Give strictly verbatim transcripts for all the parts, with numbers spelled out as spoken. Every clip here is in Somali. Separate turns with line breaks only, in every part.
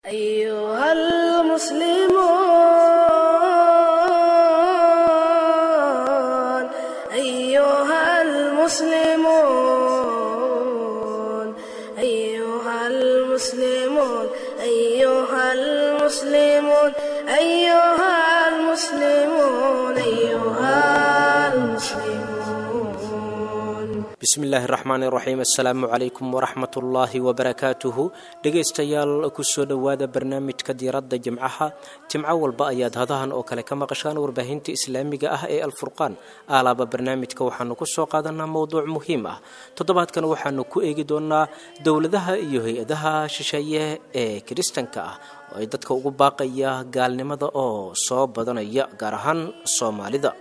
أيها المسلمون أيها المسلمون أيها المسلمون أيها المسلمون أيها المسلمون أيها المسلمون.
Bismi illaahi raxmaani raxiim, assalaamu calaykum waraxmatullaahi wabarakaatuhu. Dhegaystayaal, kusoo dhowaada barnaamijka diiradda jimcaha. Jimco walba ayaad hadahan oo kale ka maqashaan warbaahinta islaamiga ah ee Alfurqaan. Aalaaba barnaamijka waxaanu kusoo qaadanaa mowduuc muhiim ah. Toddobaadkan waxaanu ku eegi doonaa dowladaha iyo hay-adaha shisheeye ee kiristanka ah oo ay dadka ugu baaqaya gaalnimada oo soo badanaya, gaar ahaan Soomaalida.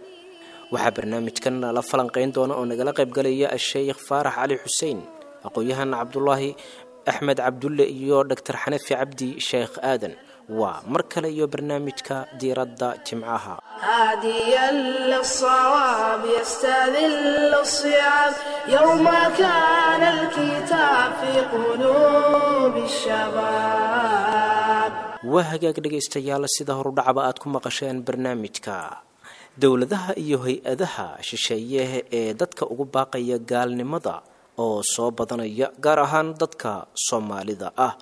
Waxaa barnaamijkan la falanqayn doona oo nagala qaybgalaya Asheykh Faarax Cali Xuseen, aqoon-yahan Cabdulaahi Axmed Cabdulle iyo Doctor Xanafi Cabdi Sheekh Aadan. Waa mar kale iyo barnaamijka diiradda jimcaha.
هاديا للصواب يستذل الصعاب يوم كان الكتاب في قلوب الشباب.
Waa hagaag dhegaystayaal, sida horudhacaba aad ku maqasheen barnaamijka, dowladaha iyo hay-adaha shisheeye ee dadka ugu baaqaya gaalnimada oo soo badanaya, gaar ahaan dadka Soomaalida ah.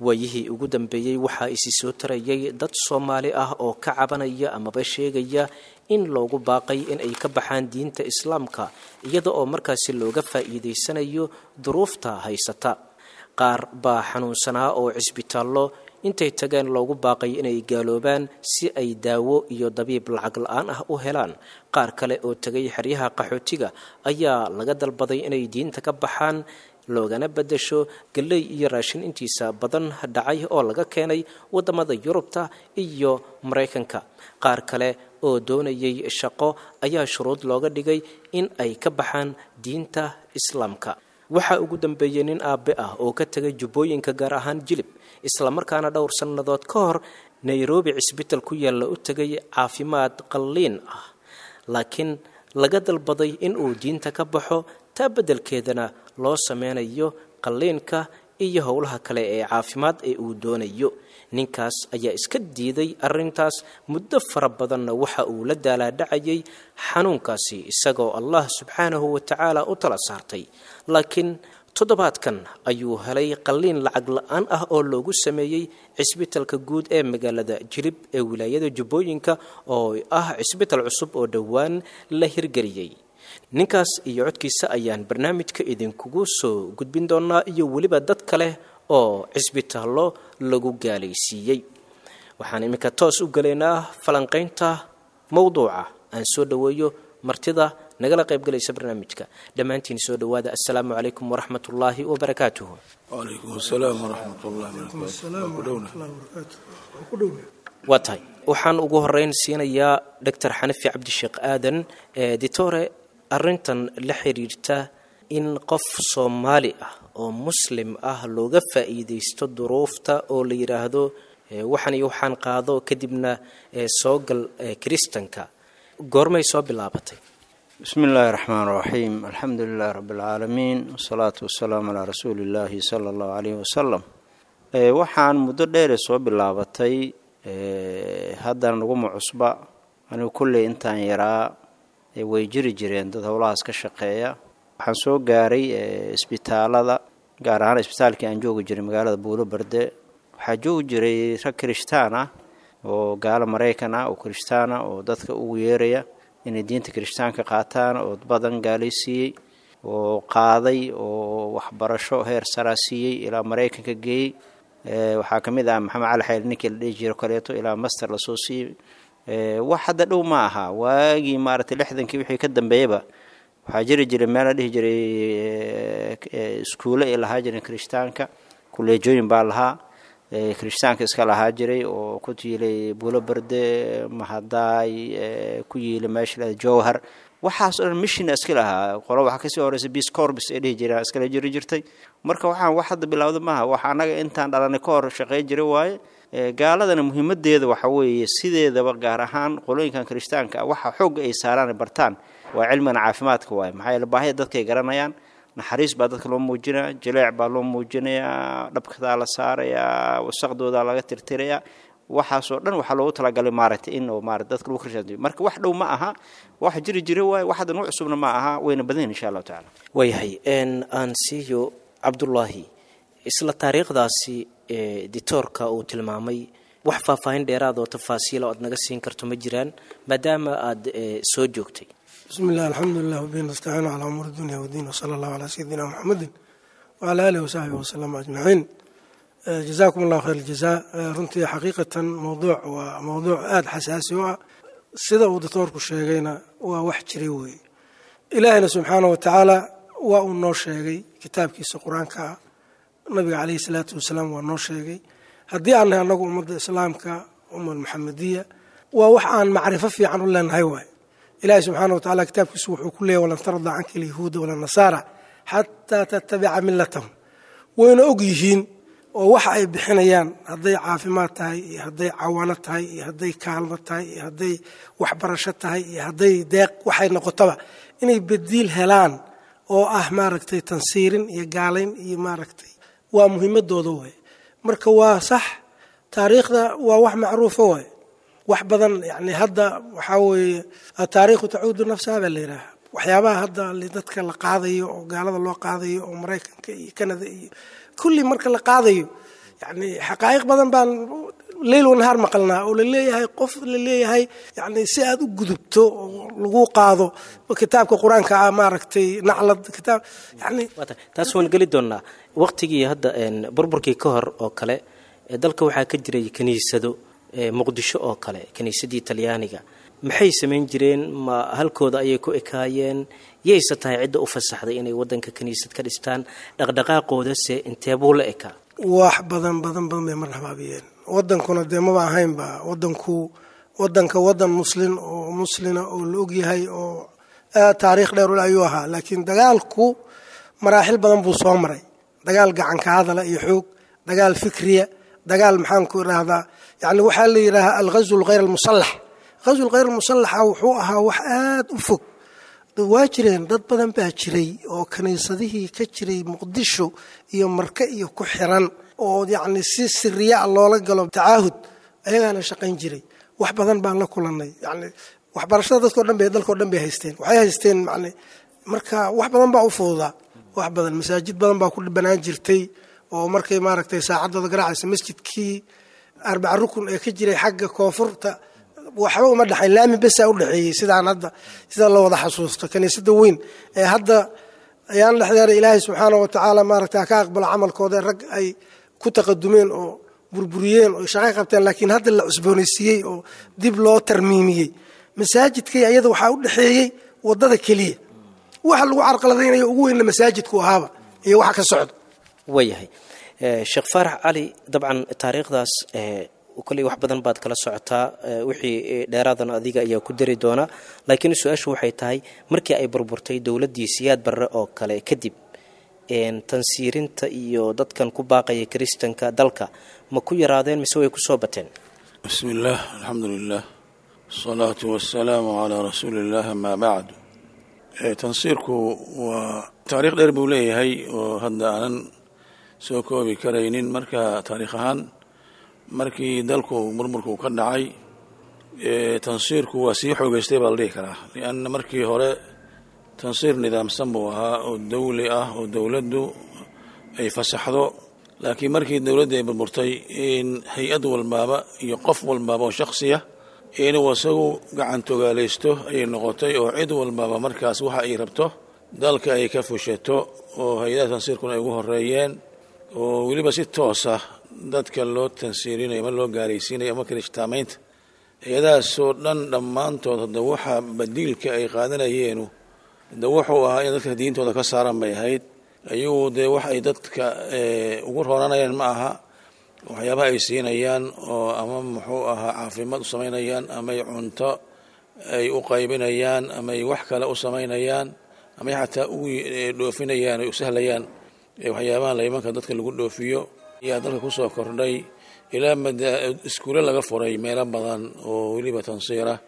Waayihii ugu dambeeyey waxaa isi soo tarayay dad Soomaali ah oo ka cabanaya amaba sheegaya in loogu baaqay in ay ka baxaan diinta Islaamka, iyada oo markaasi looga faa'iidaysanayo duruufta haysata. Qaar baa xanuunsanaa oo cisbitaallo intay tageen loogu baaqay inay gaaloobaan si ay daawo iyo dabiib lacag la-aan ah u helaan. Qaar kale oo tegay xeryaha qaxootiga ayaa laga dalbaday inay diinta ka baxaan, loogana beddesho galley iyo raashin intiisa badan dhacay oo laga keenay waddamada Yurubta iyo Maraykanka. Qaar kale oo doonayay shaqo ayaa shuruud looga dhigay in ay ka baxaan diinta Islaamka. Waxaa ugu dambeeyey nin aabbe ah oo ka tegay Jubbooyinka, gaar ahaan Jilib, islamarkaana dhowr sannadood ka hor Nairobi cisbital ku yaalla u tegay caafimaad qalliin ah, laakiin laga dalbaday in uu diinta ka baxo, taa beddelkeedana loo sameynayo qalliinka iyo howlaha kale ee caafimaad ee uu doonayo. Ninkaas ayaa iska diiday arrintaas, muddo fara badanna waxa uu la daalaadhacayay xanuunkaasi, isagoo Allah subxaanahu wa tacaala u tala saartay. Laakiin toddobaadkan ayuu helay qalliin lacag la-aan ah oo loogu sameeyey cisbitalka guud ee magaalada Jilib ee wilaayada Jubbooyinka, oo ah cisbital cusub oo dhowaan la hirgeliyey. Ninkaas iyo codkiisa ayaan barnaamijka idinkugu soo gudbin doonaa, iyo weliba dad kale oo cisbitaallo lagu gaalaysiiyey. Waxaan iminka toos u gelaynaa falanqaynta mowduuca. Aan soo dhoweeyo martida nagala qaybgalaysa barnaamijka. Dhammaantiin soo dhowaada. Assalaamu calaykum waraxmatullaahi wabarakaatuhu.
وعليكم السلام ورحمة الله وبركاته.
Waa tahay, waxaan ugu horeyn siinayaa Doctor Xanafi Cabdisheekh Aadan. Ditore, arrintan la xiriirta in qof Soomaali ah oo Muslim ah looga faa'iidaysto duruufta oo la yidhaahdo eh, waxan iyo waxaan qaado, kadibna eh, soo gal eh, kiristanka, goormay soo bilaabatay?
بسم الله الرحمن الرحيم، الحمد لله رب العالمين، والصلاة والسلام على رسول الله صلى الله عليه وسلم. Ee, waxaan muddo dheere soo bilaabatay, ee, haddana naguma cusba. Anigu kolley intaan yaraa ee, way jiri jireen dad howlahaas ka shaqeeya. Waxaan soo gaaray ee, isbitaalada, gaar ahaan isbitaalkii aan joogi jiray magaalada Buulo Barde. Waxaa joogi jiray rag kirishtaan ah oo gaalo Maraykan ah oo kirishtaan ah oo dadka ugu yeeraya inay diinta kirishtaanka qaataan, oo badan gaalaysiiyey oo qaaday oo waxbarasho heer saraa siiyey, ilaa Maraykanka geeyey. Ee, waxaa ka mid ah Maxamed Cali Xayl, ninkii la dhihi jiro kaleeto, ilaa master lasoo siiyey. Ee, wax hadda dhow ma aha. Waagii maaragtay lixdankii wixii ka dambeeyaba waxaa jiri jiray meel la dhihi jiray ee, ee, iskuulo ay lahaa jireen kirishtaanka, kuleejooyin baa lahaa ee, kirishtaanka iska lahaa jiray oo ku yiilay Buulo Barde, Mahadaay, ee, ku yiilay meesha la Jowhar. Waxaas oo dhan mission iska lahaa. Qolo waxaa kasii horeysa Peace Corps ay dhihi jireen iskala jiri jirtay. Marka waxaan wax hadda bilowda maaha, wax annaga intaan dhalanay ka hor shaqey jiray waaye. Ee, gaaladana muhiimadeeda waxa weeye sideedaba, gaar ahaan qolooyinkan kirishtaanka ah, waxa xoogga ay saaraan ay bartaan waa cilmigan caafimaadka waaye. Maxaa yeele baahida dadkay garanayaan, naxariis baa dadka loo muujinaya, jileec baa loo muujinayaa, dhabkadaa la saarayaa. Wasaqdooda laga tirtirayaa. Waxaasoo dhan waxaa loogu talagalay maaragtay in maarata dadka lagu kirshaantiyo. Marka wax dhow ma aha, wax jiri jira waaye, wax hadda noo cusubna ma aha, wayna badan yihin insha Allahu tacala.
Waayahay, aan siiyo Cabdullaahi isla taariikhdaasi ditoorka uu tilmaamay. Wax faahfaahin dheeraad oo tafaasiila oad naga siin karto ma jiraan, maadaama aada soo joogtay?
Bismi illah, alxamdulilah, wabihi nastaciin calaa umuuri dunya wdiin, wsala allahu calaa sayidina Muxamedin wacalaa aalihi wasaxbihi wasalama ajmaciin. Jazaakum allahu khayr aljazaa. Runtii xaqiiqatan mowduuc waa mowduuc aada xasaasi u ah. Sida uu doctoorku sheegayna waa wax jiray weeye. Ilaahayna subxaana wa tacaala waa uu noo sheegay kitaabkiisa Qur-aanka ah, nabiga caleyhi salaatu wasalaam waa noo sheegay. Haddii aan nahay annagu ummadda islaamka, umma Muxamediya, waa wax aan macrifo fiican u leenahay waay. Ilaahay subxaana wa tacala kitaabkiisu wuxuu ku leeyahy: walan tarda canka alyahuuda wala nasaara xataa tattabica millatahum. Wayna og yihiin oo waxa ay bixinayaan, hadday caafimaad tahay iyo hadday cawaano tahay iyo hadday kaalmo tahay iyo hadday waxbarasho tahay iyo hadday deeq waxay noqotaba, inay badiil helaan oo ah maaragtay tansiirin iyo gaalayn iyo maaragtay waa muhiimadooda waay. Marka waa sax, taariikhda waa wax macruufa waay, wax badan. Yani hadda waxaa weeye ataariikhu tacuudu nafsaha baa la yidhaaha. Waxyaabaha hadda dadka la qaadayo oo gaalada loo qaadayo oo Maraykanka iyo Canada iyo kulli marka la qaadayo, yani xaqaa'iq badan baan leyl wanahaar maqalnaa oo laleeyahay, qof laleeyahay yani si aad u gudubto oo lagu qaado kitaabka Qur-aanka ah, maaragtay naclad kitaab yani.
Taas waan geli doonnaa. Waqtigii hadda burburkii ka hor oo kale dalka waxaa ka jiray kiniisado, Muqdisho oo kale kiniisadii Talyaaniga. Maxay samayn jireen? Ma halkooda ayay ku ekaayeen? Yayse tahay cidda u fasaxday inay wadanka kiniisad ka dhistaan? Dhaqdhaqaaqoodase inteebuu la ekaa?
Wax badan badan badan bay marna habaabiyeen. Wadankuna dee maba ahaynba wadanku wadanka wadan muslin oo muslina oo la ogyahay oo aad taariikh dheer ule ayuu ahaa, laakiin dagaalku maraaxil badan buu soo maray: dagaal gacanka hadala iyo xoog, dagaal fikriya, dagaal maxaan ku idhaahdaa, yani waxaa la yidhaahaa alghazw lghayr almusalax. Ghazw lghayr almusalaxa wuxuu ahaa wax aad u fog. Waa jireen dad badan baa jiray oo kiniisadihii ka jiray Muqdisho iyo Marke iyo ku xiran oo yacni si siriya loola galo tacaahud, ayagaana shaqayn jiray. Wax badan baan la kulannay. Yani waxbarashada dadkao dhan bay dalkao dhan bay haysteen, waxay haysteen man marka wax badan baa u fududaa, wax badan masaajid badan baa ku banaan jirtay oo markay maaragtay saacaddooda garaacaysa masjidkii arbaca rukun ee ka jiray xagga koonfurta waxba uma dhexayn, laami besaa u dhexeeyey. Sidaan hadda sida la wada xasuusto kiniisada weyn ee hadda ayaan dhexdeera, Ilaahay subxaana wa tacaala maaragta ka aqbalo camalkooda, rag ay ku taqadumeen oo burburiyeen oo shaqo qabteen, laakiin hadda la cusboonaysiiyey oo dib loo tarmiimiyey. Masaajidkay ayada waxaa u dhexeeyey wadada keliya, waxa lagu carqaladaynayo ugu weynna masaajidku ahaaba iyo waxa ka socda.
Waayahay, Sheekh Faarax Cali, dabcan taariikhdaas kolley wax badan baad kala socotaa, wixii dheeraadana adiga ayaa ku dari doonaa, laakiin su-aashu waxay tahay: markii ay burburtay dowladdii Siyaad Barre oo kale kadib, tansiirinta iyo dadkan ku baaqaya kiristanka dalka ma ku yaraadeen mise way kusoo bateen?
Bismi illaah, alxamdu lilah, asalaatu wasalaamu calaa rasuuli illah, amaa bacd. Tansiirku waa taariikh dheer buu leeyahay oo hadda aanan soo koobi karaynin. Marka taariikh ahaan markii dalku murmurku ka dhacay, tansiirku waa sii xoogeystay baa la dhihi karaa, lianna markii hore tansiir nidaamsan buu ahaa oo dawli ah oo dowladdu ay fasaxdo, laakiin markii dowladda ay burburtay in hay-ad walbaaba iyo qof walbaaba oo shaksiya inuu isagu gacan togaalaysto ayay noqotay, oo cid walbaaba markaas waxa ay rabto dalka ay ka fushato, oo hay-adaha tansiirkuna ay ugu horeeyeen, oo weliba si toosa dadka loo tansiirinayo ama loo gaalaysiinayo ama kirishtaamaynta. Hay-adahaasoo dhan dhammaantood hadda waxa badiilka ay qaadanayeenu hadda wuxuu ahaa in dadka diintooda ka saaran bay ahayd. Ayagu dee wax ay dadka ugu rooranayaan ma aha waxyaabaha ay siinayaan oo ama muxuu ahaa caafimaad u samaynayaan ama ay cunto ay u qaybinayaan ama ay wax kale u samaynayaan ama ay xataa ugu dhoofinayaan ay u sahlayaan waxyaabaha laymanka dadka lagu dhoofiyo ayaa dalka kusoo kordhay, ilaa mada iskuulo laga furay meelo badan oo weliba tansiirah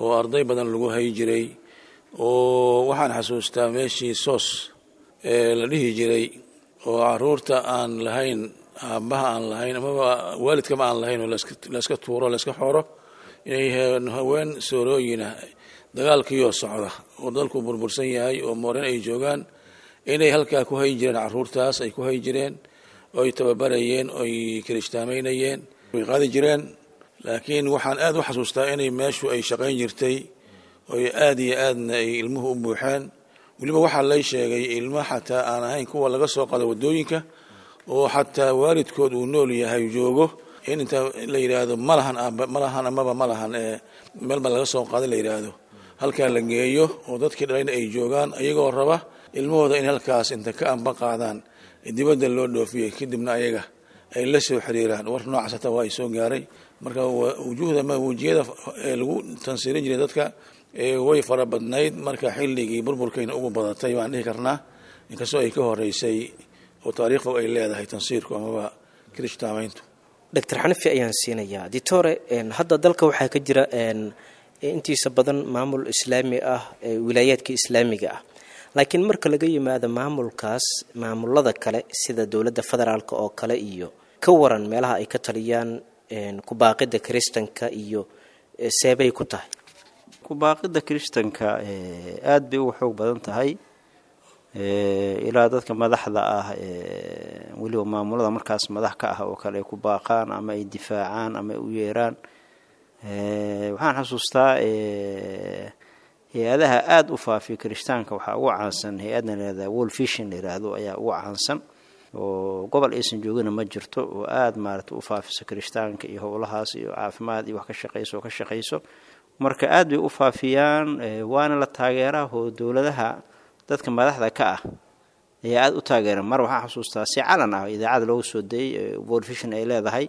oo arday badan lagu hay jiray. Oo waxaan xasuustaa meeshii soos ee la dhihi jiray oo caruurta aan lahayn aabbaha aan lahayn amaba waalidkama aan lahayn oo layska tuuro, layska xooro, inay haween soorooyinah dagaalkiiyoo socda oo dalku burbursan yahay oo mooreen ay joogaan, inay halkaa ku hayi jireen caruurtaas, ay ku hayi jireen oy tababarayeen, oy kirishtaamaynayeen, way qaadi jireen. Laakiin waxaan aad u xasuustaa inay meeshu ay shaqayn jirtay, oy aad iyo aadna ay ilmuhu u buuxeen. Weliba waxaa lay sheegay ilmo xataa aan ahayn kuwa laga soo qado waddooyinka, oo xataa waalidkood uu nool yahay joogo, in inta la yidhaahdo malahan aaba, malahan amaba malahan ee meelba laga soo qaada la yidhaahdo, halkaa la geeyo oo dadkii dhalayna ay joogaan, ayagoo raba ilmahooda in halkaas inta ka amba qaadaan dibadda loo dhoofiyey, kadibna ayaga ay la soo xiriiraan. War noocaas hataa waa ay soo gaaray. Marka wujuuhda ma wejiyada ee lagu tansiirin jiray dadka way fara badnayd. Marka xilligii burburkayna ugu badatay baan dhihi karnaa, inkastoo ay ka horeysay oo taariikh fog ay leedahay tansiirku amaba kirishtaamayntu.
Doctor Xanafi ayaan siinayaa. Ditore, hadda dalka waxaa ka jira intiisa badan maamul islaami ah, wilaayaadka islaamiga ah, laakiin marka laga yimaado maamulkaas, maamulada kale sida dowladda federaalk oo kale iyo ka waran meelaha ay ka taliyaan kubaaqida kiristanka iyo seebay ku tahay?
Kubaaqida kiristanka aada bay uga xoog badan tahay, ilaa dadka madaxda ah, weliba maamulada markaas madax ka ah oo kale, ay ku baaqaan ama ay difaacaan ama ay u yeeraan. Waxaan xasuustaa hay-adaha aada u faafiya kirishtaanka waxaa ugu caansan hay-adna layihahda World Vision la yiraahdo ayaa ugu caansan, oo gobol aysan joogina ma jirto, oo aada maarata u faafiso kirishtaanka iyo howlahaas iyo caafimaad iyo wax ka shaqeyso oo ka shaqeyso. Marka aada bay u faafiyaan, waana la taageeraa oo dowladaha dadka madaxda ka ah ayaa aada u taageera. Mar waxaan xasuustaa si calan ah idaacada loogu soo dayay World Vision ay leedahay,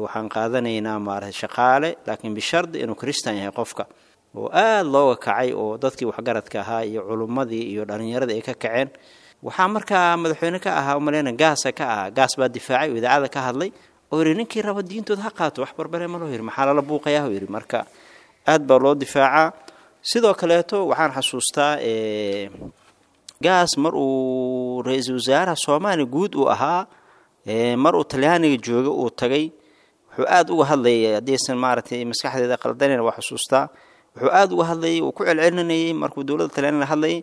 waxaan qaadanaynaa maarata shaqaale, laakiin bishardi inuu kristan yahay qofka, oo aada looga kacay oo dadkii waxgaradka ahaa iyo culummadii iyo dhalinyaradii ay ka kaceen. Waxaa markaa madaxweyne ka ahaa umaleyna Gaasa ka ahaa, Gaas baa difaacay oo idaacada ka hadlay oo yidhi ninkii raba diintooda ha qaato, wax barbare ma loo yidhi, maxaa lala buuqayaa yidhi. Marka aada baa loo difaacaa. Sidoo kaleeto waxaan xasuustaa Gaas mar uu ra-iisul wasaaraha Soomaaliya guud uu ahaa, mar uu Talyaaniga jooga uu tagay, wuxuu aada uga hadlayay, haddaysan maaragtay maskaxdeeda qaldanayna waa xusuustaa, wuxuu aada uga hadlayay uu ku celcelinayay markuu dowladda Talyaaniga la hadlayay,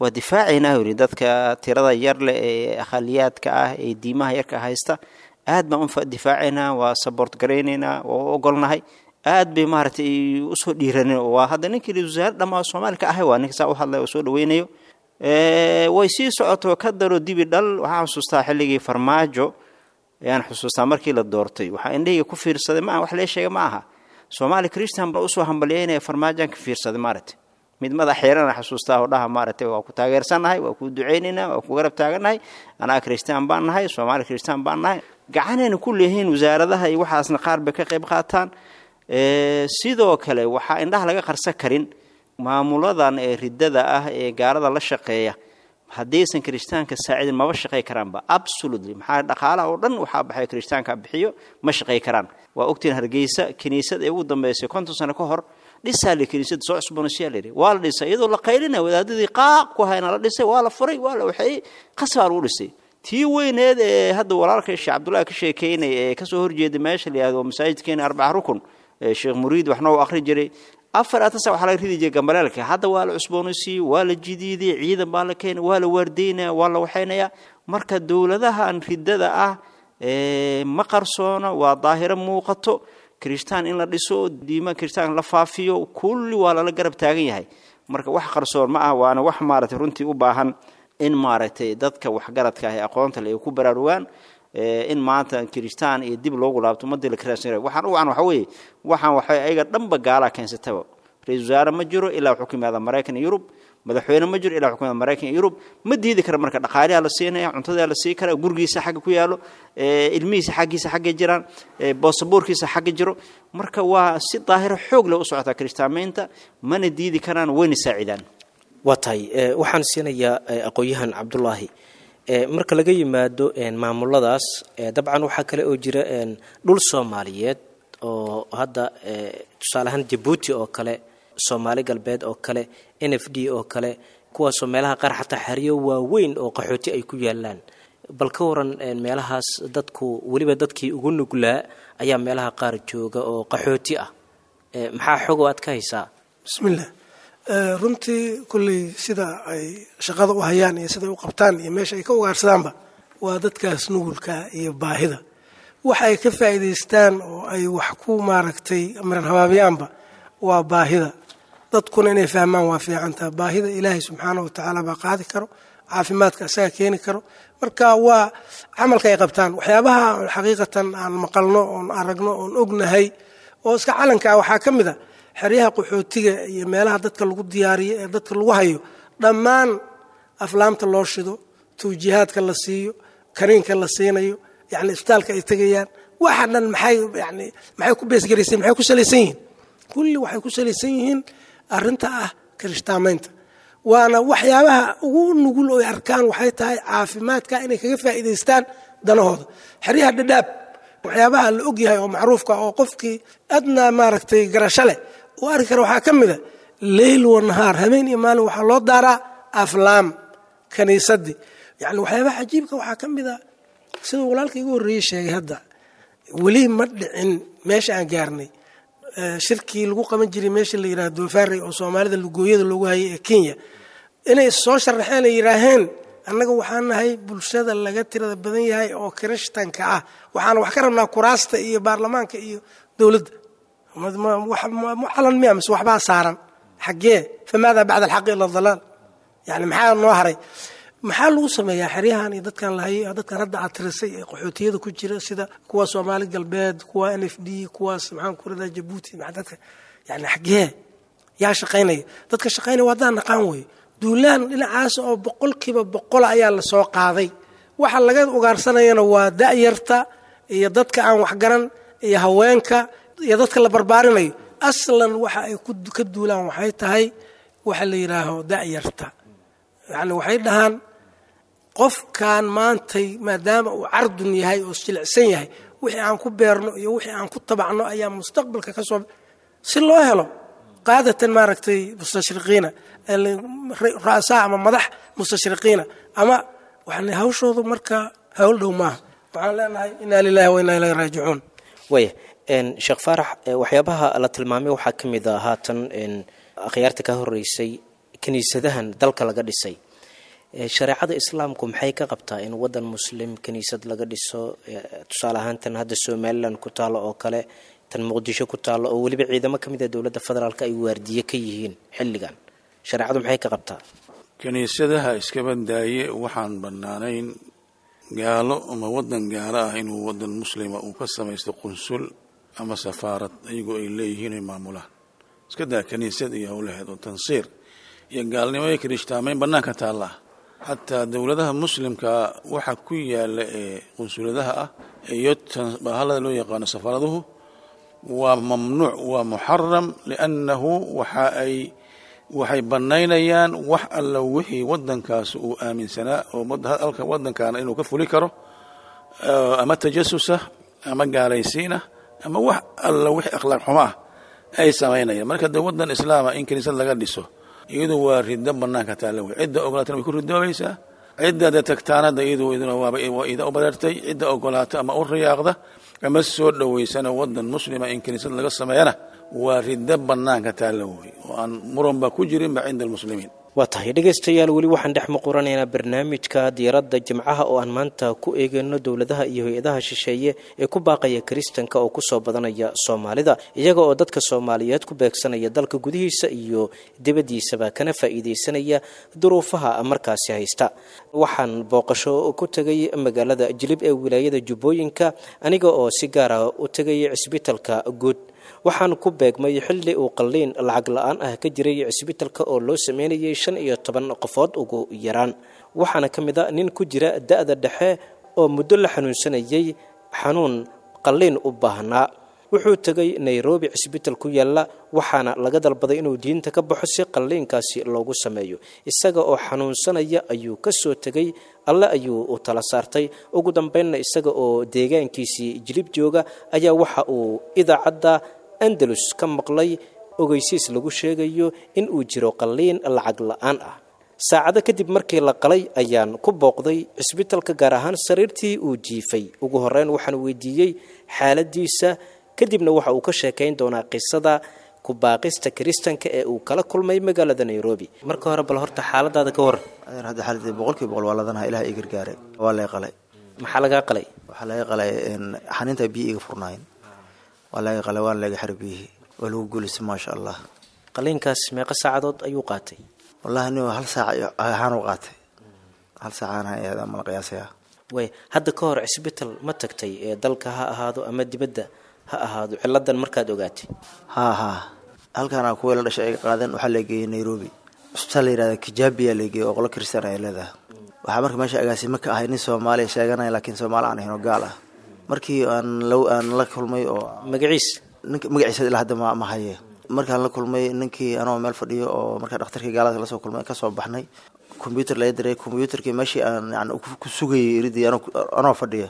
waa difaacaynaa yidhi dadka tirada yar leh ee akhaliyaadka ah ee diimaha yarka haysta, aad baan u difaacaynaa, waa support garaynaynaa, waa u ogolnahay. Aad bay maaragtay usoo dhiiraneen. Waa hadda ninkii ra-iisul wasaare dhammaa Soomaali ka ahay waa ninka saa u hadlaya oo soo dhaweynayo. Way sii socoto ka daro dibi dhal. Waxaan xusuustaa xilligii Farmaajo ayaan xusuustaa markii la doortay, waxaa indhahayga ku fiirsaday, ma aha wax lee sheega ma aha, Soomaali Christian baa usoo hambalyeynaya Farmaajoan ka fiirsaday maaragtay. Mid madax xeerana xasuustaa oo dhaha maaragtay, waa ku taageersannahay, waa ku duceynaynaa, waa ku garab taagannahay, anaa Christian baan nahay, Soomaali Christian baan nahay, gacanayna ku leeyihiin wasaaradaha iyo waxaasna qaar bay ka qayb qaataan. Sidoo kale waxaa indhaha laga qarsan karin maamuladan ee riddada ah ee gaalada la shaqeeya, haddaysan kirishtaanka saacidin maba shaqey karaanba absolutely. Maxaa dhaqaalaha oo dhan waxaa baxay kirishtaanka bixiyo, ma shaqey karaan. Waa ogtiin Hargeysa kiniisad ee ugu dambeysay konton sano ka hor dhisaa la kiniisada soo cusboonaysiyaa la yidhi, waa la dhisay iyadoo la qaylinaya, wadaadadii qaaq ku hayna la dhisay, waa la furay, waa la waxeeyey, qasbaa lagu dhisay. Tii weyneed ee hadda walaalka Sheekh Cabdullaahi ka sheekeynaya ee kasoo horjeeda meesha la yihahdo masaajidkeena Arbaca Rukun, Sheekh Muriid waxna uu akhri jiray, afar atasa waxaa laga ridi jiray gambaleelka, hadda waa la cusboonaysiiyey, waa la jidiiday, ciidan baa la keenay, waa la waardeynaya, waa la waxeynayaa. Marka dowladahan riddada ah ma qarsoona, waa daahiro muuqato, kirishtaan in la dhiso, diima kirishtaan la faafiyo, kulli waa lala garab taagan yahay. Marka wax qarsoon ma ah, waana wax maaragtay runtii u baahan in maaragtay dadka waxgaradka ah ee aqoonta le ay ku baraarugaan in maanta kirishtaan iyo dib loogu laabto ummadii la kiraasnay. Waxaan u wacan waxa weeye, waxaan waxay ayaga dhanba gaalaa keensataba. Ra-iisul wasaare ma jiro ilaa wuxuu ka yimaada Maraykan iyo Yurub, madaxweyne ma jiro ilaa wuxuu ka yimaada Maraykan iyo Yurub. Ma diidi kara marka dhaqaaliyaa la siinaya, cuntadaa la sii kara, gurigiisa xagga ku yaalo, ilmihiisa xaggiisa xagga jiraan, boosaboorkiisa xagga jiro. Marka waa si daahiro xoog leh u socotaa kirishtaamaynta, mana diidi karaan, wayna saacidaan.
Waa tahay. Waxaan siinayaa aqoon-yahan Cabdulaahi. Marka laga yimaado maamuladaas, dabcan waxaa kale oo jira dhul Soomaaliyeed oo hadda tusaale ahaan Jabuuti oo kale, Soomaali Galbeed oo kale, N F D oo kale, kuwaasoo meelaha qaar xataa xeryo waaweyn oo qaxooti ay ku yaalaan. Bal ka waran meelahaas dadku, weliba dadkii ugu nuglaa ayaa meelaha qaar jooga oo qaxooti ah, maxaa xog oo aad ka haysaa?
Bismillah. Runtii kulley sida ay shaqada u hayaan iyo siday u qabtaan iyo meesha ay ka ugaarsadaanba waa dadkaas nugulka iyo baahida. Waxa ay ka faa'iidaystaan oo ay wax ku maaragtay miran habaabiyaanba waa baahida. Dadkuna inay fahmaan waa fiicantaa. Baahida Ilaahay subxaana wa tacaala baa qaadi karo, caafimaadka asaga keeni karo. Marka waa camalka ay qabtaan waxyaabaha xaqiiqatan aan maqalno oon aragno oon ognahay oo iska calanka ah waxaa ka mid a xeryaha qaxootiga iyo meelaha dadka lagu diyaariyo ee dadka lagu hayo, dhammaan aflaamta loo shido, tawjiihaadka la siiyo, kariinka la siinayo, yani isbitaalka ay tegayaan, waxa dhan maxay yani maxay ku beesgaraysan, maxay ku salaysan yihiin? Kulli waxay ku salaysan yihiin arrinta ah kirishtaamaynta. Waana waxyaabaha ugu nugul oo ay arkaan waxay tahay caafimaadka inay kaga faa'iidaystaan danahooda. Xeryaha Dhadhaab waxyaabaha la ogyahay oo macruufka oo qofkii adnaa maaragtay garasho leh uu arki kara waxaa ka mid a leyl wa nahaar, habeen iyo maalin, waxaa loo daaraa aflaam kaniisadii. Yani waxyaabaha cajiibka waxaa ka mid a siduu walaalka igu horreeyey sheegay, hadda weli ma dhicin meesha aan gaarnay shirkii lagu qaban jiray meesha la yidhaha Doofaarey oo Soomaalida lugooyada loogu hayay ee Kenya, inay soo sharaxeen ay yidhaaheen annaga waxaan nahay bulshada laga tirada badan yahay oo kirishtanka ah, waxaana wax ka rabnaa kuraasta iyo baarlamaanka iyo dowladda. Calan miya mise waxbaa saaran xaggee? Famaada bacda alxaqi ila dalaal. Yani maxaa noo haray? Maxaa lagu sameeyaa xeryahan iyo dadkan lahay, dadkan hadda aad tirisay ee qaxootiyada ku jira, sida kuwa Soomaali Galbeed, kuwa N F D, kuwaas maxaan ku radaa Jabuuti, dadka yani xaggee yaa shaqaynaya? Dadka shaqaynaya waa haddaan naqaan wey. Duulaan dhinacaas oo boqolkiiba boqol ayaa lasoo qaaday. Waxa laga ugaarsanayana waa da'yarta iyo dadka aan waxgaran iyo haweenka iyo dadka la barbaarinayo. Aslan waxa ay ka duulaan waxay tahay waxa la yidhaaho da'yarta. Yani waxay dhahaan qofkan maantay maadaama uu cardun yahay oo jilicsan yahay, wixii aan ku beerno iyo wixii aan ku tabacno ayaa mustaqbalka ka soo si loo helo qaadatan maaragtay mustashriqiina, ra'saa ama madax mustashriqiina ama waxaan hawshoodu marka hawl dhow maaha. Waxaan leenahay inaa lilahi wa inaa ilayhi raajicuun.
Waaya, Sheekh Faarax, waxyaabaha la tilmaamay waxaa ka mid a haatan akhyaarta ka horeysay kiniisadahan dalka laga dhisay. Shareecada Islaamku maxay ka qabtaa in wadan Muslim kiniisad laga dhiso? Tusaale ahaan tan hadda Somalilan ku taalo oo kale, tan Muqdisho ku taalo oo weliba ciidamo ka mid a dowladda federaalka ay waardiye ka yihiin xilligan, shareecadu maxay ka qabtaa?
Kiniisadaha iska badaaye, waxaan bannaanayn gaalo ama wadan gaalo ah inuu wadan Muslima uu ka samaysto qunsul ama safaarad iyagoo ay leeyihiin ay maamulaan. Iska daa kiniisad iyo howlaheed oo tansiir iyo gaalnimo iyo kirishtaamayn bannaanka taallaa. Xataa dowladaha Muslimka waxa ku yaala ee qunsuladaha ah iyo bahalada loo yaqaano safaaraduhu waa mamnuuc, waa muxaram, liannahu waxa ay waxay bannaynayaan wax alla wixii waddankaas uu aaminsanaa oo halka waddankaana inuu ka fuli karo, ama tajasusah ama gaalaysiinah ama wax alla wixii akhlaaq xumo ah ay samaynayaan. Marka dee waddan Islaama in kiniisad laga dhiso iyadu waa riddo bannaanka taalla wey. Cidda ogolaatana way ku ridoobaysaa, cidda dee tagtaanada iyadu iduna waaba waa ida u bareertay. Cidda ogolaata ama u riyaaqda ama soo dhoweysana waddan Muslima in kiniisad laga sameeyana waa riddo bannaanka taalla wey oo aan muranba ku jirinba cinda almuslimiin.
Waa tahay dhegaystayaal, weli waxaan dhex muquranaynaa barnaamijka Diiradda Jimcaha oo aan maanta ku eegayno dowladaha iyo hay-adaha shisheeye ee ku baaqaya kiristanka oo kusoo badanaya Soomaalida, iyaga oo dadka Soomaaliyeed ku beegsanaya dalka gudihiisa iyo dibaddiisaba, kana faa'iidaysanaya duruufaha markaasi haysta. Waxaan booqasho ku tegay magaalada Jilib ee wilaayada Jubbooyinka, aniga oo si gaara u tegay cisbitalka guud. Waxaan ku beegmay xilli uu qalliin lacag la-aan ah ka jiray cisbitalka oo loo sameynayay shan iyo toban qofood ugu yaraan. Waxaana ka mid a nin ku jira da-da dhexe oo muddo la xanuunsanayay xanuun qalliin u baahnaa. Wuxuu tegay Nairobi cisbital ku yaalla, waxaana laga dalbaday inuu diinta ka baxo si qalliinkaasi loogu sameeyo. Isaga oo xanuunsanaya ayuu ka soo tegay, Alle ayuu u tala saartay. Ugu dambeynna isaga oo deegaankiisii Jilib jooga ayaa waxa uu idaacadda Andalus ka maqlay ogeysiis lagu sheegayo in uu jiro qalliin lacag la-aan ah. Saacado kadib markii la qalay ayaan ku booqday cisbitalka, gaar ahaan sariirtii uu jiifay. Ugu horreyn waxaan weydiiyey xaaladiisa, kadibna waxa uu ka sheekayn doonaa qisada ku baaqista kiristanka ee uu kala kulmay magaalada Nairobi. Marka hore bal horta xaaladaada ka waran.
Adeer, hadda xaaladii boqolkiiba boqol waa ladanaha. Ilaah ii gargaaray, waa laga qalay.
Maxaa lagaa qalay?
Waxaa laga qalay xaniinta biyo iga furnaayeen, waa laga qalay, waana laga xiray biyihii, waa lagu guulaystay, maasha Allah.
Qaliinkaas meeqa saacadood ayuu qaatay?
Wallahi nin hal saac ahaan u qaatay, hal saac ahaan ayaa mala qiyaasayaa.
Way hadda ka hor cisbital ma tagtay, ee dalka ha ahaado ama dibadda ha ahaado, ciladan markaad ogaatay?
Haa haa, halkaana kuwii la dhashay ay qaadeen, waxaa la geeyey Nairobi, cusbitaal la yihahda Kijabiya la geeyey oo qolo kristan ay leedahay. Waxaa marka meesha agaasimo ka ahay nin Soomaaliya sheeganaya, laakiin Soomaali aan ahayn oo gaal ah. Markii aan la aan la kulmay oo
magaciis
ninka magaciisa ilaa hadda ma ma haye. Markaan la kulmay ninkii anoo meel fadhiyo oo markaa dhakhtarkii gaalada lasoo kulmay, kasoo baxnay, combyuter laga diray. Combyuterkii meeshii aan yani ku sugayay iridii anoo anoo fadhiyo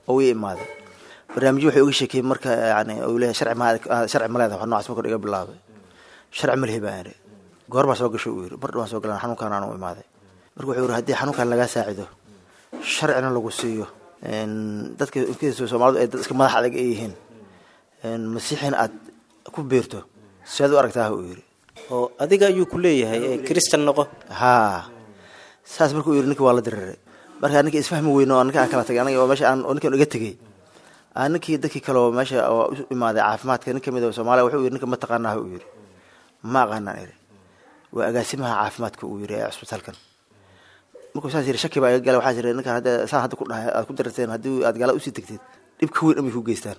oo ii imaaday barnaamijyo wuxuu iga sheekeyey. Marka yani uu leeyahay sharci ma sharci ma leedahay, wax noocaas markuu iga bilaabay. Sharci ma lihi baan idhi. Goor baa soo gashay, uu yidhi. Mar dhawaan soo galan, xanuunkaan aan u imaaday. Marka wuxuu yidhi haddii xanuunkan lagaa saacido, sharcina lagu siiyo, dadka Soomaalidu ay dad iska madax adag ay yihiin, masiixina aad ku biirto, sidaad u aragtaa, uu yidhi.
Oo adiga ayuu ku leeyahay ee kristan noqo?
Haa, saas markuu yidhi ninki waa la diriiray. Markaa ninkii isfahmi weyno oo ninka aan kala tagay aniga oo meesha aan oo ninkan iga tegey, aa ninkii dadkii kale oo meesha oo u imaaday caafimaadka, nin kamid oo Soomaaliya wuxuu yidhi ninka ma taqaanaa, uu yidhi. Ma aqaanaan idhi. Waa agaasimaha caafimaadka, uu yidhi, ee cusbitaalkan. Markuu saas yidhi shaki baa iga galay. Waxaa jira ninkan hadda saan hadda ku dhahay aad ku dirirteen, haddii aad gaala usii tagteed dhib ka weyn amay ku geystaan.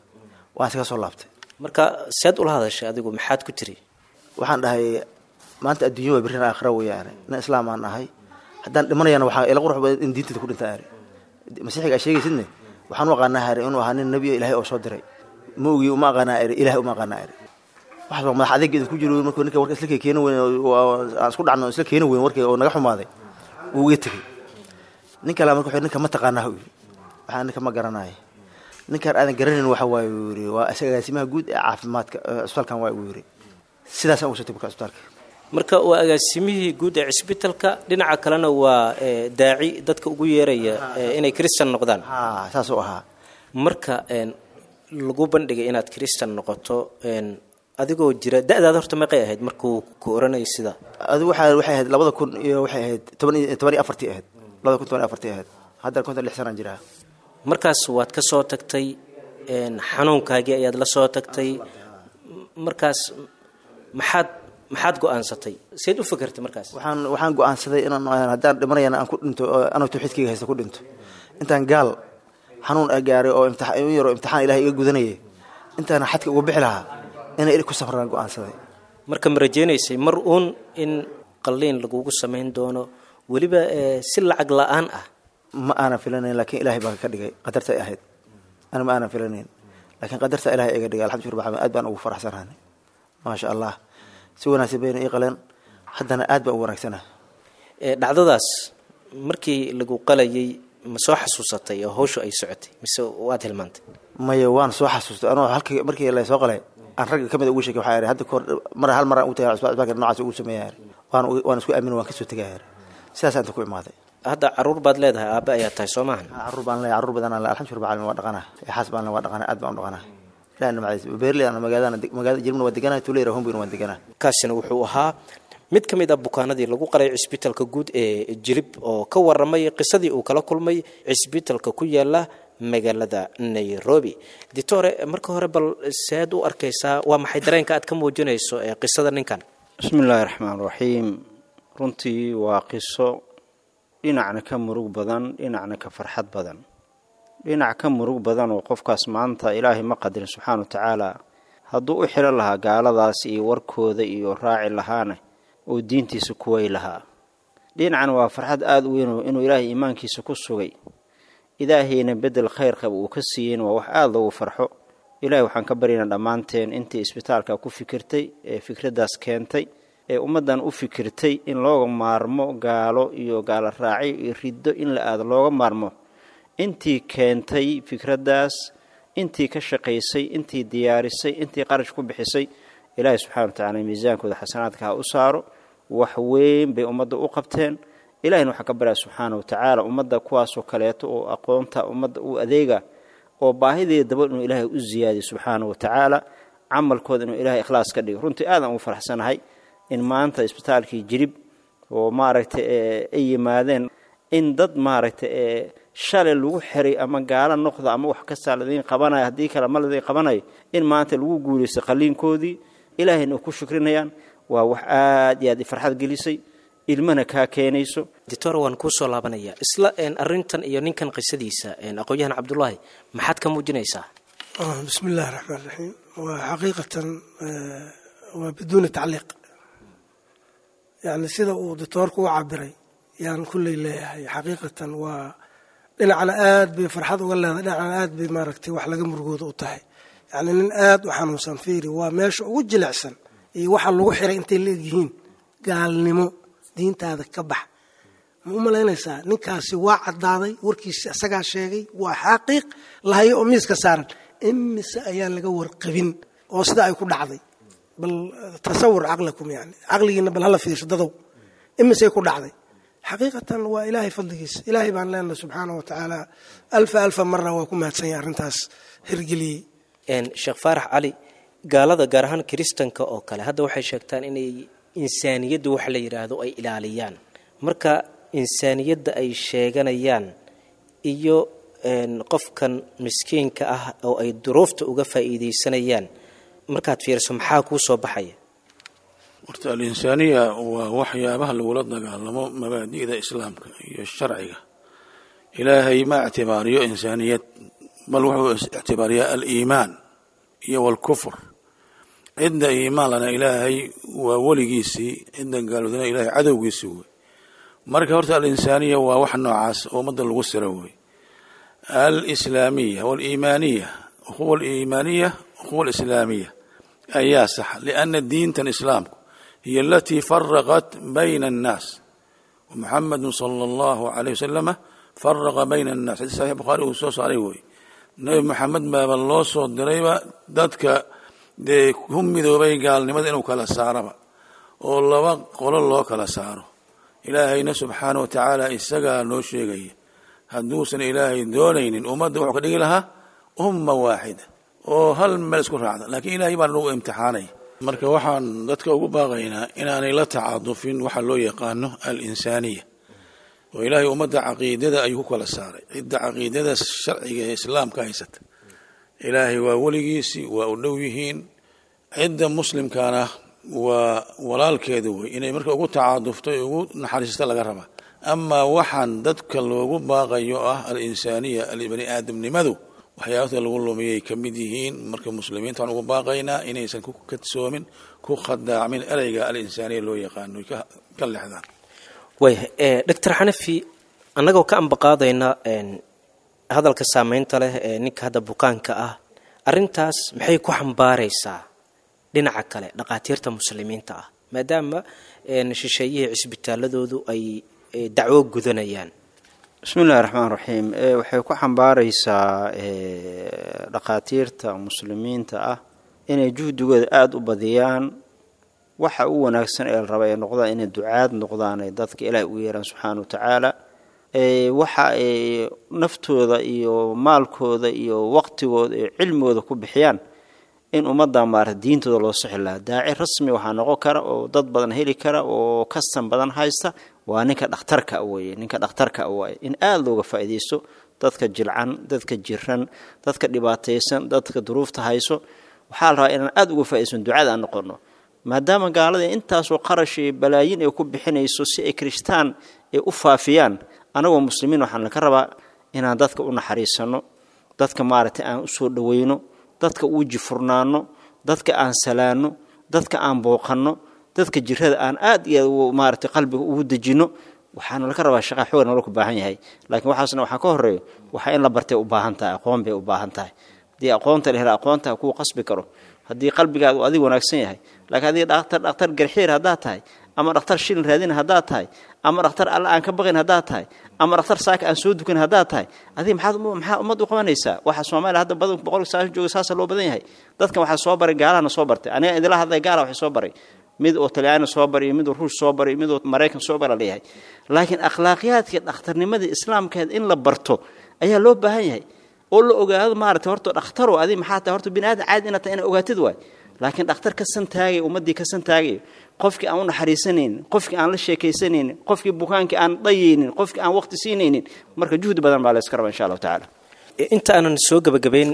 Waan iskaga soo laabtay.
Marka seed ula hadashay adigu, maxaad ku tiri?
Waxaan dhahay maanta adduunya waa, birrina aakhira weeyaane. Nin islaam aan ahay, haddaan dhimanayana waxaa ila qurux badan in diinteeda ku dhinta. Ari masiixiga aa sheegaysidne waxaan u aqaanaa hari inuu ahaa nin nebiyo Ilaahay oo soo diray. Ma ogi, uma aqaanaa eri, Ilahay uma aqaanaa eri. Waxaas waa madax adeeg idinku jiro. Markuu ninka warka isla keeni weyn, aan isku dhacno isla keeni weyn warkii oo naga xumaaday, wuu iga tegey. Nin kale marka wuxuu ninka ma taqaanaa, uu yidhi. Waxaan ninka ma garanaya. Ninkaan aadan garanayn waxa waaye, uu yidhi, waa isaga agaasimaha guud ee caafimaadka cusbitaalkan waa, uu yidhi. Sidaasaan ugu soo tegay marka cusbitaalka.
Marka waa agaasimihii guud ee cisbitalka, dhinaca kalena waa daaci dadka ugu yeeraya inay kristan noqdaan.
Haa, saasuu ahaa.
Marka lagu bandhigay inaad kristan noqoto adigoo jira da-daada horta meeqay ahayd markuu ku oranayay sida?
Adigu waxaa waxay ahayd labada kun iyo waxay ahayd toban iyo toban iyo afartii ahayd, labada kun toban iyo afartii ahayd. Haddana konton lix sanaan jiraa.
Markaas waad ka soo tagtay xanuunkaagii ayaad la soo tagtay. Markaas maxaad maxaad go-aansatay, seed u fakertay markaas?
Waxaan waxaan go-aansaday inaan haddaan dhimanayana aan ku dhinto anoo tawxiidkayga haysta ku dhinto, intaan gaal xanuun a gaaray oo imtixaan in yaroo imtixaan Ilahay iga gudanayay intaana xadka uga bixi lahaa inay ku safraan go-aansaday.
Marka ma rajeynaysay mar uun in qalliin lagugu samayn doono, weliba si lacag la-aan ah?
Ma aanan filanayn, laakiin Ilahay baa ka dhigay, qadarta ay ahayd. Ana ma aanan filanayn, laakiin qadarta Ilahay iga dhigay. Alxamdu lillah, aad baan ugu faraxsanahay, maasha Allah. Si wanaagsan bayna ii qaleen, haddana aad baan u wanaagsanahay.
Dhacdadaas markii lagu qalayay ma soo xasuusatay oo hawshu ay socotay, mise waad hilmaantay?
Maya, waan soo xasuustay. Anoo halka markii la soo qalay aan ragga kamid ugu sheekay, waxaa ihi hadda kahor mar hal mar aan ugu tagay cusbitaalka noocaas ugu sameeyaa, waan waan isku aamin, waan kasoo tegaya, sidaas inta ku imaaday.
Hadda caruur baad leedahay, aabbe ayaa tahay, soo maahan?
Caruur baan leeyahay, caruur badan aan leeyahay, alxamdu lillah, waa dhaqanaa, xaas baan leeyahay, waa dhaqanaa, aad baan u dhaqanaa. Ilaahay nimcadiis beerley aan magaalada magaalada Jilibna waa deganaa, tuulada Hombina waan deganaa.
Kaasina wuxuu ahaa mid ka mid ah bukaanadii lagu qalay cisbitalka guud ee Jilib oo ka waramay qisadii uu kala kulmay cisbitalka ku yaala magaalada Nairobi. Ditore, marka hore bal seed u arkaysaa, waa maxay dareenka aad ka muujinayso ee qisada ninkan?
Bismi illaahi raxmaan raxiim. Runtii waa qiso dhinacna ka murug badan, dhinacna ka farxad badan. Dhinac ka murug badan oo qofkaas maanta Ilaahay ma qadarin subxaana wa tacaala, hadduu u xidhan lahaa gaaladaas iyo warkooda iyo raaci lahaana oo diintiisa kuway lahaa. Dhinacan waa farxad aada u weyn inuu Ilaahay iimaankiisa ku sugay, Ilaahayna bedel khayr qaba uu ka siiyeyna waa wax aada loogu farxo. Ilahay waxaan ka baryaynaa dhammaanteen intii isbitaalka ku fikirtay ee fikraddaas keentay ee ummaddan u fikirtay in looga maarmo gaalo iyo gaalo raacyo iyo riddo in la aado looga maarmo, intii keentay fikraddaas, intii ka shaqaysay, intii diyaarisay, intii qarash ku bixisay, Ilaahay subxana wa tacaala miisaankooda xasanaadka ha u saaro. Wax weyn bay ummadda u qabteen. Ilahina waxaan ka baryaa subxaana wa tacaala ummadda kuwaasoo kaleeto oo aqoonta ummadda u adeega oo baahideeda daba inuu ilaahay u ziyaadiyo subxaana wa tacaala, camalkooda inuu ilaahay ikhlaas ka dhigo. Runtii aadaan ugu faraxsanahay in maanta isbitaalkii Jirib oo maaragtay ay yimaadeen in dad maaragtay ee shalay lagu xiray ama gaalo noqda ama wax kastaa ladiin qabanayo, haddii kale ma ladiin qabanayo, in maanta lagu guulaystay qalliinkoodii, ilaahayna u ku shukrinayaan. Waa wax aad iyo aad farxad gelisay, ilmana kaa keenayso.
Doctor, waan kuusoo laabanaya isla arrintan iyo ninkan qisadiisa. Aqoon-yahan Cabdullaahi, maxaad ka muujinaysaa?
Bismi illahi raxmaan raxiim. Waa xaqiiqatan waa biduuni tacliiq, yani sida uu doctoorku u cabiray yaan kulley leeyahay. Xaqiiqatan waa dhinacna aad bay farxad uga leedahay, dhinacna aad bay maaragtay wax laga murugooda u tahay. Yani nin aad u xanuunsan, fiiri, waa meesha ugu jilicsan iyo waxa lagu xiray intay la egyihiin gaalnimo, diintaada ka bax. Ma u malaynaysaa ninkaasi waa caddaaday warkiisi, isagaa sheegay, waa xaqiiq lahayo oo miiska saaran. Imise ayaan laga warqabin oo sida ay ku dhacday? Bal tasawur caqlakum, yani caqligiina bal hala fiirsho dadow, imisay ku dhacday? Xaqiiqatan waa ilaahay fadligiisa. Ilaahay baan leenahay subxaana wa tacaala alfa alfa mara waa ku mahadsan yahay arrintaas hirgeliyey.
Sheekh Faarax Cali, gaalada gaar ahaan kiristanka oo kale hadda waxay sheegtaan inay insaaniyaddu wax la yidhaahdo ay ilaaliyaan. Marka insaaniyadda ay sheeganayaan iyo qofkan miskiinka ah oo ay duruufta uga faa'iidaysanayaan markaad fiiriso, maxaa kuu soo baxaya?
Horta alinsaaniya waa waxyaabaha lagula dagaalamo mabaadi'da islaamka iyo sharciga. Ilaahay ma ictibaariyo insaaniyad, bal wuxuu ictibaariyaa aliimaan iyo walkufr. Cidda iimaan lana ilaahay waa weligiisii, cidda gaalowdana ilaahay cadowgiisii wey. Marka horta alinsaaniya waa wax noocaas oo ummadda lagu siro wey. Alislaamiya waliimaaniya, ukhuwa aliimaaniya, ukhuwa alislaamiya ayaa saxa, lianna diintan islaamku hiya alatii faraqat bayna annaas, muxamadu sala allahu alayh wasalama faraqa bayna annaas. Xadiis saxiix Bukhaari uu soo saaray wey. Nabi Maxamed baaba loo soo dirayba dadka dee ku midoobay gaalnimada inuu kala saaraba oo laba qolo loo kala saaro. Ilaahayna subxaana wa tacaala isagaa noo sheegaya, hadduusan ilaahay doonaynin ummadda wuxuu ka dhigi lahaa umma waaxida oo hal meel isku raacda, laakiin ilaahay baa nagu imtixaanaya. Marka waxaan dadka ugu baaqaynaa inaanay la tacaadufin waxa loo yaqaano alinsaaniya, oo ilaahay ummadda caqiidada ayuu ku kala saaray. Cidda caqiidada sharciga ee islaamka haysata ilaahay waa weligiisii, waa u dhow yihiin. Cidda muslimkana waa walaalkeeda wey, inay marka ugu tacaadufto ee ugu naxariista laga rabaa. Amaa waxaan dadka loogu baaqayo ah alinsaaniya, bani aadamnimadu, waxyaabata lagu lumiyay ka mid yihiin. Marka muslimiinta waxaan ugu baaqaynaa inaysan ku kadsoomin, ku khadaacmin ereyga alinsaaniya loo yaqaano, ka lexdaan.
Waaya, Doctor Xanafi, annagoo ka ambaqaadayna hadalka saameynta leh ee ninka hadda bukaanka ah, arrintaas maxay ku xambaaraysaa dhinaca kale dhaqaatiirta muslimiinta ah, maadaama shisheeyihii cisbitaaladoodu ay dacwo gudanayaan?
Bismi illahi raxmaan raxiim. Waxay ku xambaaraysaa dhaqaatiirta muslimiinta ah inay juhdigooda aada u badiyaan. Waxa u wanaagsan ee la raba ay noqdaan inay ducaad noqdaan, ay dadka ilaahay ugu yeeraan subxaana wa tacaala. Waxa ay naftooda iyo maalkooda iyo waqtigooda iyo cilmigooda ku bixiyaan in ummadda maarata diintooda loo sixi lahaa. Daaci rasmi waxaa noqon kara oo dad badan heli kara oo kasan badan haysta waa ninka dhakhtarka weye, ninka dhakhtarka waaye in aada looga faa'iidaysto dadka jilcan, dadka jiran, dadka dhibaataysan, dadka duruufta hayso. Waxaa la rabaa inaan aada uga faaidaysan ducada aan noqono, maadaama gaalada intaasoo qarash iyo balaayin ay ku bixinayso si ay kirishtaan ay u faafiyaan. Anagoo muslimiin waxaan laka rabaa inaan dadka u naxariisano, dadka maaragtay aan usoo dhaweyno, dadka u jifurnaano, dadka aan salaano, dadka aan booqanno, dadka jirada aan aad iyo aad maaragtay qalbiga ugu dejino. Waxaana laka rabaa shaqa xoog nolol ku baahan yahay, laakiin waxaasna waxaa ka horeeyo waxaa in la bartay u baahan tahay, aqoon bay u baahan tahay. Haddii aqoonta la hela, aqoonta kuu qasbi karo haddii qalbigaadu adiga wanaagsan yahay. Laakiin adiga dhakhtar dhakhtar garxiir haddaad tahay, ama dhakhtar shilin raadin haddaad tahay, ama dhakhtar alla aan ka baqin haddaad tahay, ama dhakhtar saaka aan soo dukan haddaad tahay, adiga maxaad maxaa ummad u qabanaysaa? Waxa Soomaaliya hadda badan boqol sagaashan jooga saasa loo badan yahay. Dadkan waxaa soo baray gaalahana soo bartay. Aniga idila hadlay gaala waxay soo baray. Mid oo Talyaani soo baray, mid oo Ruush soo baray, mid oo Maraykan soo bara leeyahay. Laakiin akhlaaqiyaadka dhakhtarnimada islaamkeed in la barto ayaa loo baahan yahay, oo la ogaado maaragtay horta dhakhtaro adi maxaa tahay, horta bini aadan caadi inaad tahay inaad ogaatid waay. Laakiin dhakhtar ka santaagay ummaddii ka santaagay, qofkii aan u naxariisanaynin, qofkii aan la sheekaysanaynin, qofkii bukaankii aan dayaynin, qofkii aan waqti siinaynin, marka juhdi badan baa la iska rabaa insha Allahu tacaala.
Inta aanan soo gebagabayn,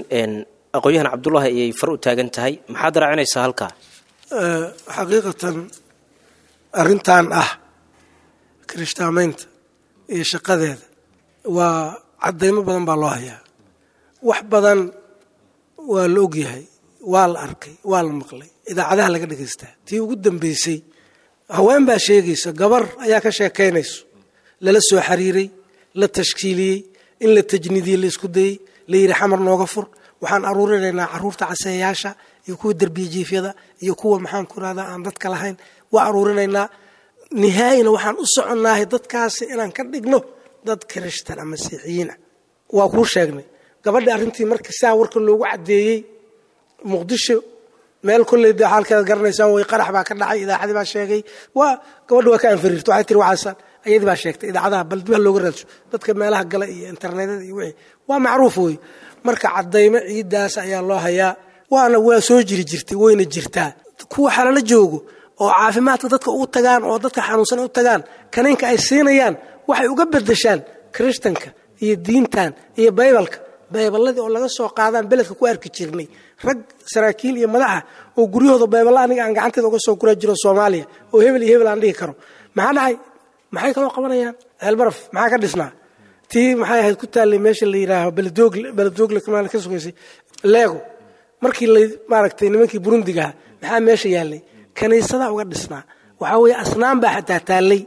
aqoon-yahan Cabdullaahi ayay far u taagan tahay, maxaad raacinaysaa halkaa?
Xaqiiqatan arrintan ah kirishtaamaynta iyo shaqadeeda waa caddaymo badan baa loo hayaa. Wax badan waa la ogyahay, waa la arkay, waa la maqlay, idaacadaha laga dhegaystaa. Tii ugu dambeysay haween baa sheegaysa, gabar ayaa ka sheekaynayso, lala soo xiriiray, la tashkiiliyey, in la tajniidiyey, la isku dayey, la yidhi xamar nooga fur, waxaan aruurinaynaa caruurta caseeyaasha iyo kuwa derbiya jiifyada iyo kuwa maxaan ku rahdaa aan dadka lahayn, waa aruurinaynaa, nihaayina waxaan u soconaahay dadkaasi inaan ka dhigno dad kirishtan ama masiixiyiin ah. Waa kuu sheegnay gabadha arrintii marka saa warka loogu caddeeyey Muqdisho meel kolley dee xaalkeeda garanaysaan way, qarax baa ka dhacay, idaacadii baa sheegay, waa gabadha waa ka anfariirta, waxay tiri waxaasaan ayadii baa sheegtay idaacadaha, bal dib ha looga raadsho dadka meelaha gala iyo internetyada iyo wixii waa macruuf wey. Marka caddaymo ciiddaas ayaa loo hayaa, waana waa soo jiri jirtay, wayna jirtaa. Kuwa xalala joogo oo caafimaadka dadka ugu tagaan oo dadka xanuunsan u tagaan, kaniinka ay siinayaan waxay uga bedeshaan kirishtanka iyo diintan iyo baybalka, bayballadii oo laga soo qaadaan beledka ku arki jirnay rag saraakiil iyo madaxa oo guryahooda bayballa aniga aan gacanteeda uga soo gura jiro Soomaaliya, oo hebel iyo hebel aan dhihi karo. Maxaa dhacay? Maxay kaloo qabanayaan? Ceelbaraf maxaa ka dhisnaa? Tii maxay ahayd ku taallay meesha la yidhaaho Beledoogle, Beledoogle kamaal ka sugaysay Leego, markii la maaragtay nimankii Burundiga maxaa meesha yaallay? Kaniisada uga dhisnaa. Waxaa weeye asnaam baa xataa taallay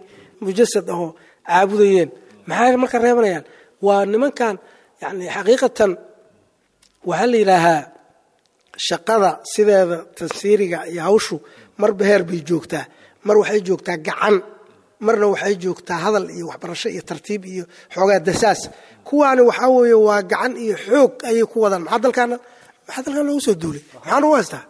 mujasad ahoo caabudayeen. Maxay marka reebanayaan? Waa nimankan yani xaqiiqatan waxaa la yidhaahaa shaqada sideeda tansiiriga iyo hawshu marba heer bay joogtaa. Mar waxay joogtaa gacan, marna waxay joogtaa hadal iyo waxbarasho iyo tartiib iyo xoogaa dasaas. Kuwaani waxaa weeye waa gacan iyo xoog ayay ku wadaan. Maxaa dalkaana, maxaa dalkan loogu soo duulay? Maxaa lagu haystaa?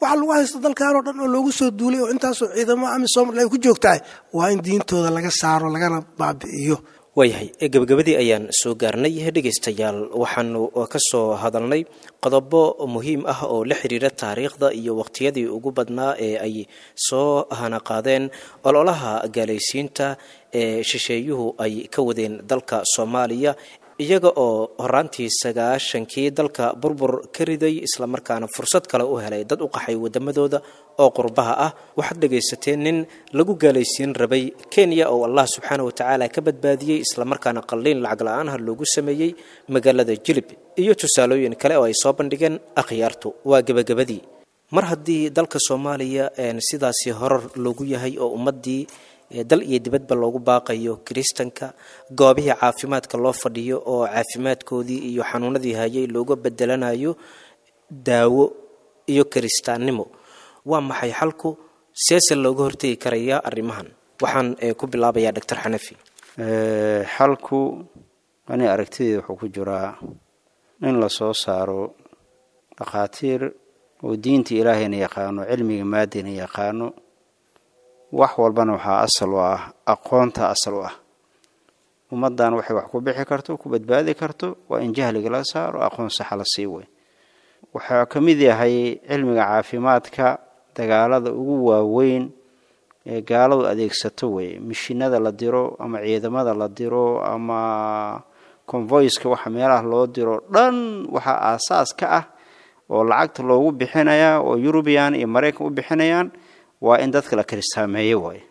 Waxaa lagu haysta dalkan oo dhan oo loogu soo duulay oo intaasoo ciidamo AMISOM ay ku joogtahay waa in diintooda laga saaro lagana baabi'iyo.
Waayahay, gebagabadii ayaan soo gaarnay dhegaystayaal. Waxaanu ka soo hadalnay qodobo muhiim ah oo la xiriira taariikhda iyo waqtiyadii ugu badnaa ee ay soo hanaqaadeen ololaha gaalaysiinta ee shisheeyuhu ay ka wadeen dalka Soomaaliya, iyaga oo horaantii sagaashankii dalka burbur ka riday, islamarkaana fursad kale u helay dad u qaxay wadamadooda oo qurbaha ah. Waxaad dhegaysateen nin lagu gaalaysiin rabay Kenya oo Allah subxaana wa tacaala ka badbaadiyey, islamarkaana qalliin lacag la-aanha loogu sameeyey magaalada Jilib, iyo tusaalooyin kale oo ay soo bandhigeen akhyaartu. Waa gebagabadii. Mar haddii dalka Soomaaliya sidaasi horar loogu yahay oo ummaddii dal iyo dibadba loogu baaqayo kiristanka, goobihii caafimaadka loo fadhiyo oo caafimaadkoodii iyo xanuunadii hayay looga bedelanayo daawo iyo kiristaannimo, waa maxay xalku? Seese looga hortegi karayaa arrimahan? Waxaan ku bilaabayaa Doctor Xanafi.
Xalku ani aragtideeda wuxuu ku jiraa in la soo saaro dhakhaatiir oo diinta ilaahayna yaqaano, cilmiga maadina yaqaano. Wax walbana waxaa asal u ah aqoonta, asal u ah ummaddan waxay wax ku bixi karto, ku badbaadi karto, waa in jahliga la saaro, aqoon saxa la sii way. Waxaa ka mid yahay cilmiga caafimaadka dagaalada ugu waaweyn ee gaaladu adeegsato wey, mishinada la diro ama ciidamada la diro ama convoyska waxa meelaha loo diro dhan, waxaa aasaas ka ah oo lacagta loogu bixinayaa oo Yurubiyan iyo Maraykan u bixinayaan waa in dadka la kiristaameeyo waayo.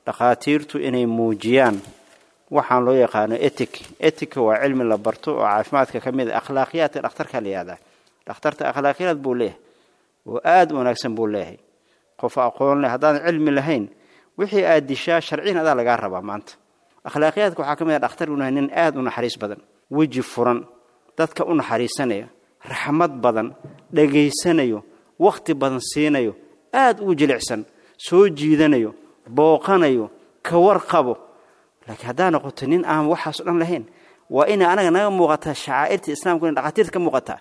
Dhakhaatiirtu inay muujiyaan waxaan loo yaqaano etic. Etica waa cilmi la barto oo caafimaadka ka mid a, akhlaaqiyaadka dhakhtarka la yihahdaa. Dhakhtarta akhlaaqiyaad buu leeyahay oo aada u wanaagsan buu leeyahay. Qof aqoon leh, haddaadan cilmi lahayn wixii aad dishaa sharciyan adaa lagaa rabaa maanta. Akhlaaqiyaadka waxaa ka mid ah dhakhtar inuu yahay nin aada u naxariis badan, weji furan, dadka u naxariisanayo, raxmad badan, dhegaysanayo, wakhti badan siinayo, aada u jilicsan, soo jiidanayo, booqanayo, ka warqabo. Laakiin haddaa noqoto nin aan waxaas o dhan lahayn, waa inay anaga naga muuqataa shacaa'irta islaamku, inay dhakhaatiirta ka muuqataa.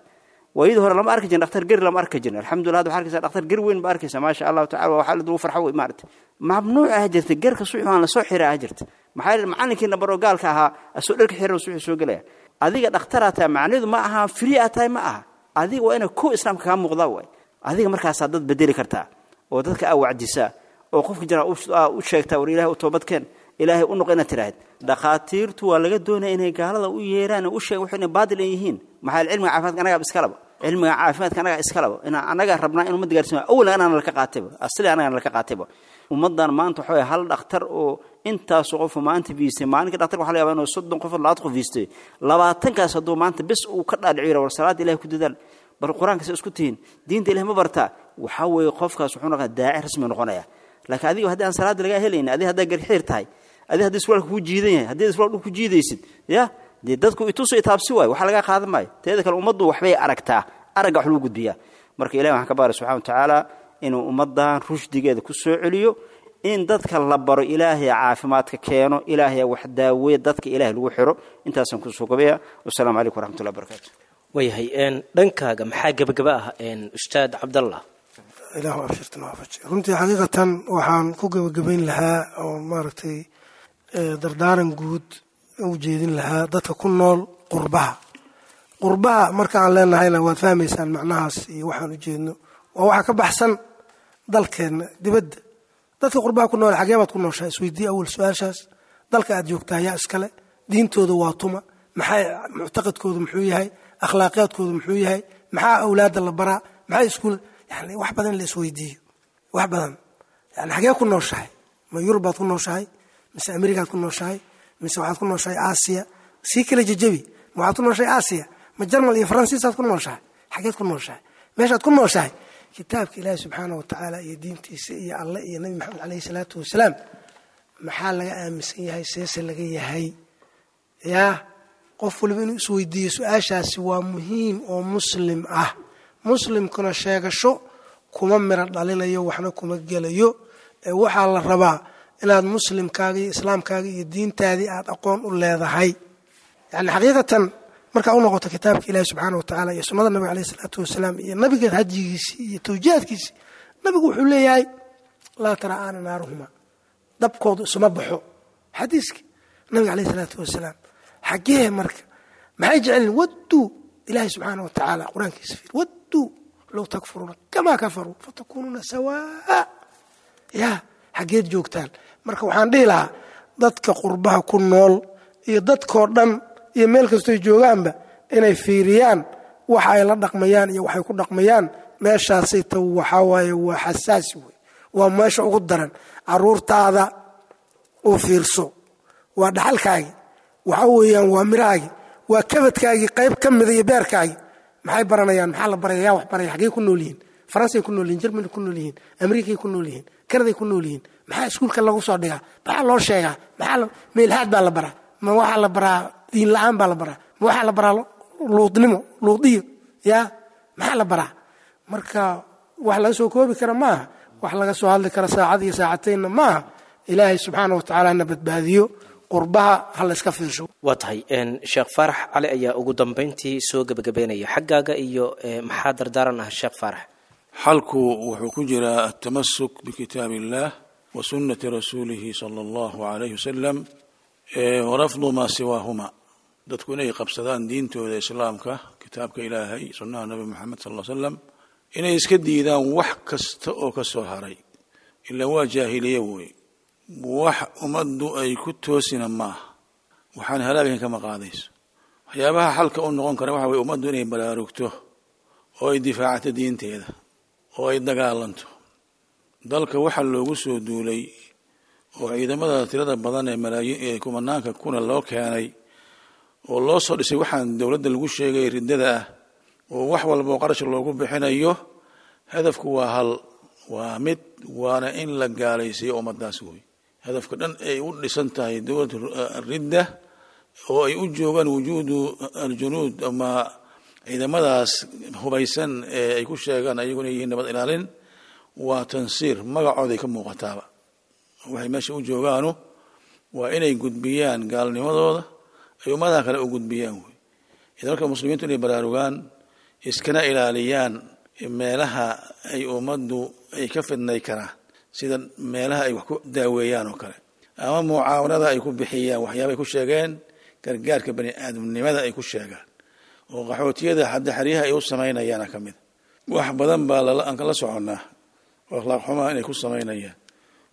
Waayadii hore lama arki jirin dhakhtar geri, lama arki jirin. Alxamdulillah, hadda waxaa arkaysaa dhakhtar geri weyn ba arkaysaa, maasha Allahu tacala. Waxaa lagu farxo wey maaragtay. Mamnuuc ah jirta gerka suuxi waan lasoo xiraa ah jirta. Maxaa yeelay macalinkiina baroo gaalka ahaa asoo dharka xiran suuxi soo gelaya. Adiga dhakhtaraa tahay macnaheedu ma aha free aa tahay, ma aha. Adiga waa inay kow islaamka kaa muuqdaa waay. Adiga markaasaa dad bedeli kartaa oo dadka aa wacdisaa oo qofka jira u sheegtaa, war Ilahay u toobadkeen, Ilaahay u noqo inaad tidhaahid. Dhakhaatiirtu waa laga doonaya inay gaalada u yeeraan oo u sheegan wax inay baadil ay yihiin. Maxaa yeelay cilmiga caafimaadka anagaa iskalaba, cilmiga caafimaadka anagaa iskalaba, inaa anagaa rabnaa in ummadda gaarsiin. Awalan anaana laka qaatayba, asli anagaana laka qaatayba. Ummaddan maanta waxa waye hal dhakhtar oo intaasoo qofu maanta fiistay, maalinka dhakhtarka waxa la yaabaa inuu soddon qof, labaatan qof fiistay. Labaatankaas hadduu maanta bes uu ka dhaadhiciyo, war salaada Ilahay ku dadaal, bar qur-aanka se isku tihiin, diinta Ilahay ma bartaa, waxaa weeye qofkaas wuxuu noqonaya daaci rasmi noqonaya. Laakiin adiga haddii aan salaada lagaa helaynin, adiga haddaa garxiir tahay, adiga haddii surwaalka kuu jiidan yahay, haddii surwaal dhul ku jiidaysid, ya dee dadku ituso itaabsi waayo, waxa lagaa qaadan maayo. Teeda kale ummaddu waxbay aragtaa, aragga wax lagu gudbiyaa. Marka Ilahi waxaan ka baara subxana wa tacaala inuu ummaddan rushdigeeda ku soo celiyo, in dadka la baro Ilaahay caafimaadka keeno, Ilaahay wax daaweeye, dadka Ilaahay lagu xiro. Intaasaan kusoo gobaya. Wasalaamu calaykum waraxmatullahi wabarakaatu.
Waayahay, dhankaaga maxaa gebagaba ah, ustaad Cabdallah?
Ilaahu abshirtan waafaji. Runtii xaqiiqatan waxaan ku gebagabayn lahaa oo maaragtay dardaaran guud u jeedin lahaa dadka ku nool qurbaha. Qurbaha markaan leenahayna waad fahmaysaan macnahaas iyo waxaan u jeedno waa waxa ka baxsan dalkeenna dibadda. Dadka qurbaha ku nool, xagee baad ku nooshahay? Isweydii awal su-aashaas. Dalka aad joogtaa yaa iskale? Diintooda waa tuma? Maxay muctaqadkoodu muxuu yahay? Akhlaaqiyaadkoodu muxuu yahay? Maxaa awlaadda la baraa? Maxaa iskuul? Yani wax badan la isweydiiyo, wax badan. Yani xagee ku nooshahay? Ma Yurub baad ku nooshahay, mise Amerikaad ku nooshahay, mise waxaad ku nooshahay Aasiya? Sii kala jejebi. Ma waxaad ku nooshahay Aasiya, ma Jarmal iyo Faransiisaad ku nooshahay? Xageed ku nooshahay? Meeshaad ku nooshahay kitaabka Ilaahi subxaana wa tacaala iyo diintiisa iyo Alle iyo Nabi Maxamed caleyhi salaatu wasalaam maxaa laga aaminsan yahay? Seese laga yahay? Yaa qof waliba inuu isweydiiyo su-aashaasi waa muhiim oo muslim ah. Muslimkuna sheegasho kuma miro dhalinayo, waxna kuma gelayo. Ee waxaa la rabaa inaad muslimkaaga iyo islaamkaaga iyo diintaadii aad aqoon u leedahay. Yani xaqiiqatan markaa u noqoto kitaabka Ilahi subxaana wa tacaala iyo sunnada nabiga caleyhi salaatu wasalaam iyo nabiga hadyigiisii iyo tawjiihaadkiisii, nabigu wuxuu leeyahay laa tara'aana naaruhuma, dabkoodu isuma baxo, xadiiska nabiga caleyhi salaatu wasalaam. Xaggee marka maxay jecelin? Wadduu Ilahi subxaana wa tacaala qur-aankiisa fiir, wadduu low takfuruuna kamaa kafaruu fatakuunuuna sawaa. Yaa xaggeed joogtaan? Marka waxaan dhihi lahaa dadka qurbaha ku nool iyo dadkoo dhan iyo meel kastoy joogaanba inay fiiriyaan waxa ay la dhaqmayaan iyo waxay ku dhaqmayaan. Meeshaasay ta waxaa waaye waa xasaasi wey, waa meesha ugu daran. Caruurtaada u fiirso, waa dhaxalkaagii, waxa weeyaan waa mirahaagii, waa kabadkaagii qayb ka mida iyo beerkaagii. Maxay baranayaan? Maxaa la baraya? Yaa wax baraya? Xaggey ku nool yihiin? Faransay ku nool yihin, Jermany ku nool yihiin, Amerikay ku nool yihiin, Kanaday ku nool yihiin. Maxaa iskuulka lagu soo dhigaa? Maxaa loo sheegaa? Maxaa meelhaad baa la baraa? Ma waxaa la baraa diin la-aan baa la baraa? Ma waxaa la baraa luudnimo, luudiyo? Yaa maxaa la baraa? Marka wax laga soo koobi kara maaha, wax laga soo hadli kara saacad iyo saacataynna maaha. Ilaahay subxaana wa tacaala na badbaadiyo. Qurbaha ha la iska fiirsho.
Waa tahay, Sheekh Faarax Cali ayaa ugu dambeyntii soo gebagabeynaya. Xaggaaga iyo maxaa dardaaran ah, Sheekh Faarax?
Xalku wuxuu ku jiraa altamasuk bikitaab illah wa sunnati rasuulihi sala allahu alayhi wasalam warafdu maa siwaahuma. Dadku inay qabsadaan diintooda islaamka, kitaabka Ilaahay, sunnaha Nabi Maxamed sal l slam, inay iska diidaan wax kasta oo ka soo haray, ilaa waa jaahiliye wey, wax ummaddu ay ku toosina maaha, waxaan halaagin kama qaadayso. Waxyaabaha xalka u noqon kara waxa weye ummaddu inay baraarugto oo ay difaacato diinteeda oo ay dagaalanto. Dalka waxaa loogu soo duulay oo ciidamada tirada badan ee malaayiin ee kumanaanka kuna loo keenay oo loo soo dhisay waxaan dowladda lagu sheegay riddada ah oo wax walba oo qarash loogu bixinayo, hadafku waa hal, waa mid, waana in la gaalaysiiyo ummaddaas wey. Hadafka dhan ay u dhisan tahay dowlad ridda oo ay u joogaan wujuudu aljunuud ama ciidamadaas hubaysan ee ay ku sheegaan ayaguna yihiin nabad ilaalin, waa tansiir, magacooday ka muuqataaba. Waxay meesha u joogaanu waa inay gudbiyaan gaalnimadooda ay ummadaha kale u gudbiyaan wey. Idan marka muslimiintu inay baraarugaan, iskana ilaaliyaan meelaha ay ummaddu ay ka fidnay karaan, sida meelaha ay wax ku daaweeyaan oo kale, ama mucaawanada ay ku bixiyaan waxyaaba ay ku sheegeen gargaarka bani aadamnimada ay ku sheegaan, oo qaxootiyada hadda xeryaha ay u samaynayaana ka mid. Wax badan baa aan kala soconnaa oo akhlaaq xumaa inay ku samaynayaan,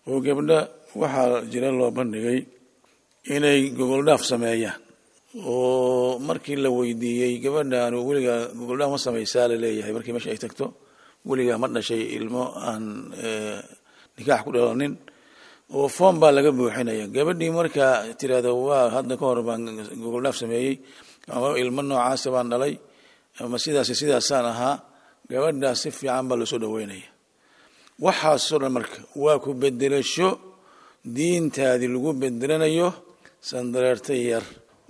oo gabdha waxaa jira loo bandhigay inay gogoldhaaf sameeyaan, oo markii la weydiiyey gabadhaanu weligaa gogoldhaaf ma samaysaa laleeyahay, markii meesha ay tagto weligaa ma dhashay ilmo aan nikaax ku dhalanin, oo foom baa laga buuxinaya. Gabadhii markaa tirahdo waa hadda ka hor baan gogoldhaaf sameeyey, ama ilmo noocaasa baan dhalay, ama sidaas sidaasaan ahaa, gabadhaas si fiican baa loosoo dhaweynaya. Waxaasoo dhan marka waa ku bedelasho diintaadii lagu bedelanayo sandareerta yar,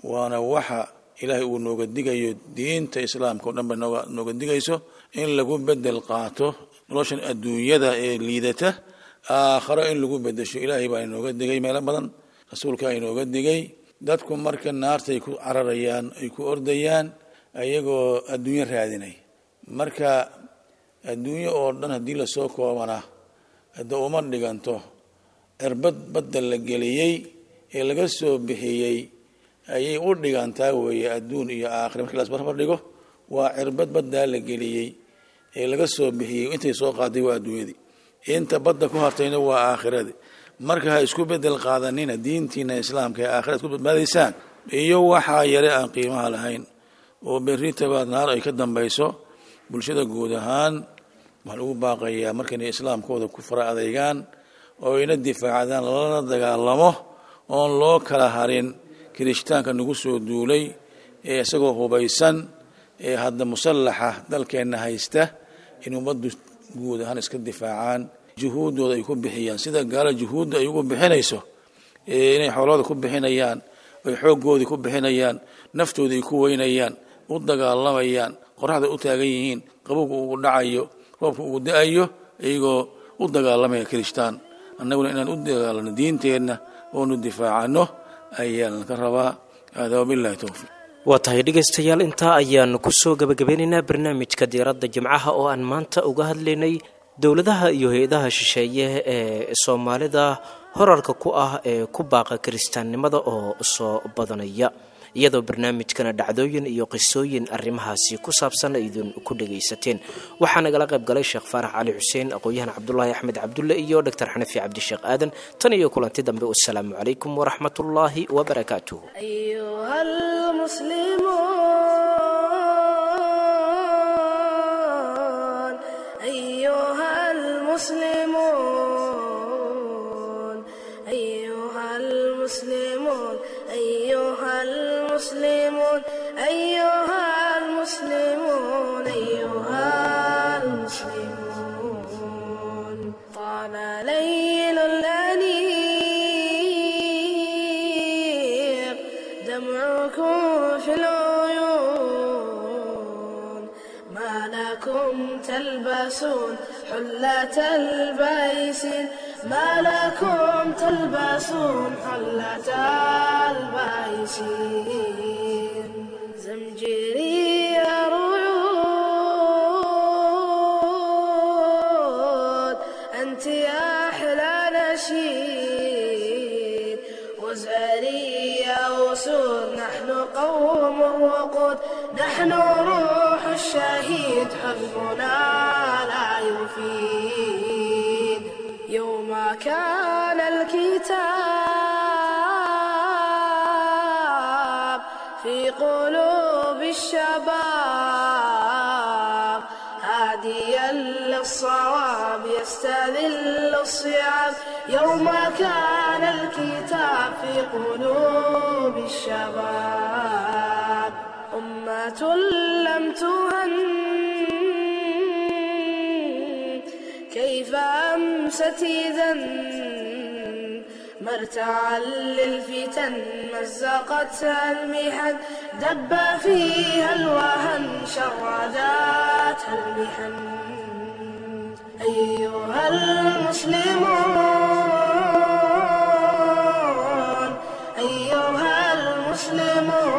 waana waxa ilaahay uu nooga digayo, diinta islaamka o dhan ba nooga nooga digayso in lagu bedel qaato noloshan adduunyada ee liidata, aakharo in lagu bedesho. Ilaahay baa inooga digay meelo badan, rasuulkaa inooga digay. Dadku marka naartay ku cararayaan, ay ku ordayaan ayagoo adduunyo raadinay. Marka adduunyo oo dhan haddii lasoo koobana hadda uma dhiganto cirbad badda la geliyey ee laga soo bixiyey ayay u dhigantaa weeye. Adduun iyo aakhira markii las barbar dhigo waa cirbad baddaa la geliyey ee laga soo bixiyey, intay soo qaaday waa adduunyadii, inta badda ku hartayna waa aakhiradii. Marka ha isku bedel qaadanina diintiina islaamka ee aakhirad ku badbaadaysaan iyo waxaa yare aan qiimaha lahayn oo berritabaad naar ay ka dambayso. Bulshada guud ahaan waxaan ugu baaqayaa marka inay islaamkooda ku fara adeygaan oo ayna difaacdaan, lalana dagaalamo oon loo kala harin kirishtaanka nagu soo duulay ee isagoo hubaysan ee hadda musallaxa dalkeenna haysta, in ummaddu guud ahaan iska difaacaan, juhuuddooda ay ku bixiyaan sida gaala juhuudda ay ugu bixinayso, inay xoolooda ku bixinayaan, ay xooggoodii ku bixinayaan, naftooda ay ku weynayaan, u dagaalamayaan, qoraxda u taagan yihiin, qabowga ugu dhacayo, roobka ugu da-ayo, iyagoo u dagaalamaya kirishtaan. Annaguna inaan u dagaalano diinteenna oonu difaacano ayaan ka rabaa. Hada wabillahi towfiiq.
Waa tahay dhegaystayaal, intaa ayaanu kusoo gabagabeynaynaa barnaamijka diiradda jimcaha oo aan maanta uga hadlaynay dowladaha iyo hay-adaha shisheeye ee soomaalida horarka ku ah ee ku baaqa kiristaannimada oo soo badanaya, iyadoo barnaamijkana dhacdooyin iyo qisooyin arrimahaasi ku saabsan idin ku dhagaysateen. Waxaa nagala qayb galay Sheekh Faarax Cali Xuseen, aqoon-yahan Cabdulaahi Axmed Cabdulle iyo Doctor Xanafi Cabdisheekh Aadan. Tan iyo kulanti dambe, wasalaamu calaykum waraxmatullaahi wabarakaatuh.
أيها المسلمون أيها المسلمون أيها المسلمون أيها المسلمون أيها المسلمون أيها المسلمون. طال ليل الأنيق دمعكم في العيون، ما لكم تلبسون حلة البيس، ما لكم تلبسون حلة البيس. زمجري رعود أنت يا أحلى نشيد، وزاري يا أسود نحن قوم وقود، نحن روح الشهيد حزبنا لا يفيد. يوم كان الكتاب في قلوب الشباب، هاديا للصواب يستذل الصعاب. يوم كان الكتاب في قلوب الشباب، أمة لم تهن كيف أمست إذا، مرتعا للفتن مزقتها المحن، دب فيها الوهن شرداتها المحن. أيها المسلمون أيها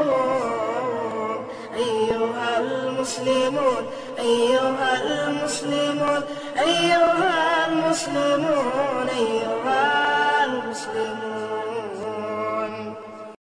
المسلمون أيها المسلمون. المسلمون أيها المسلمون أيها المسلمون أيها المسلمون.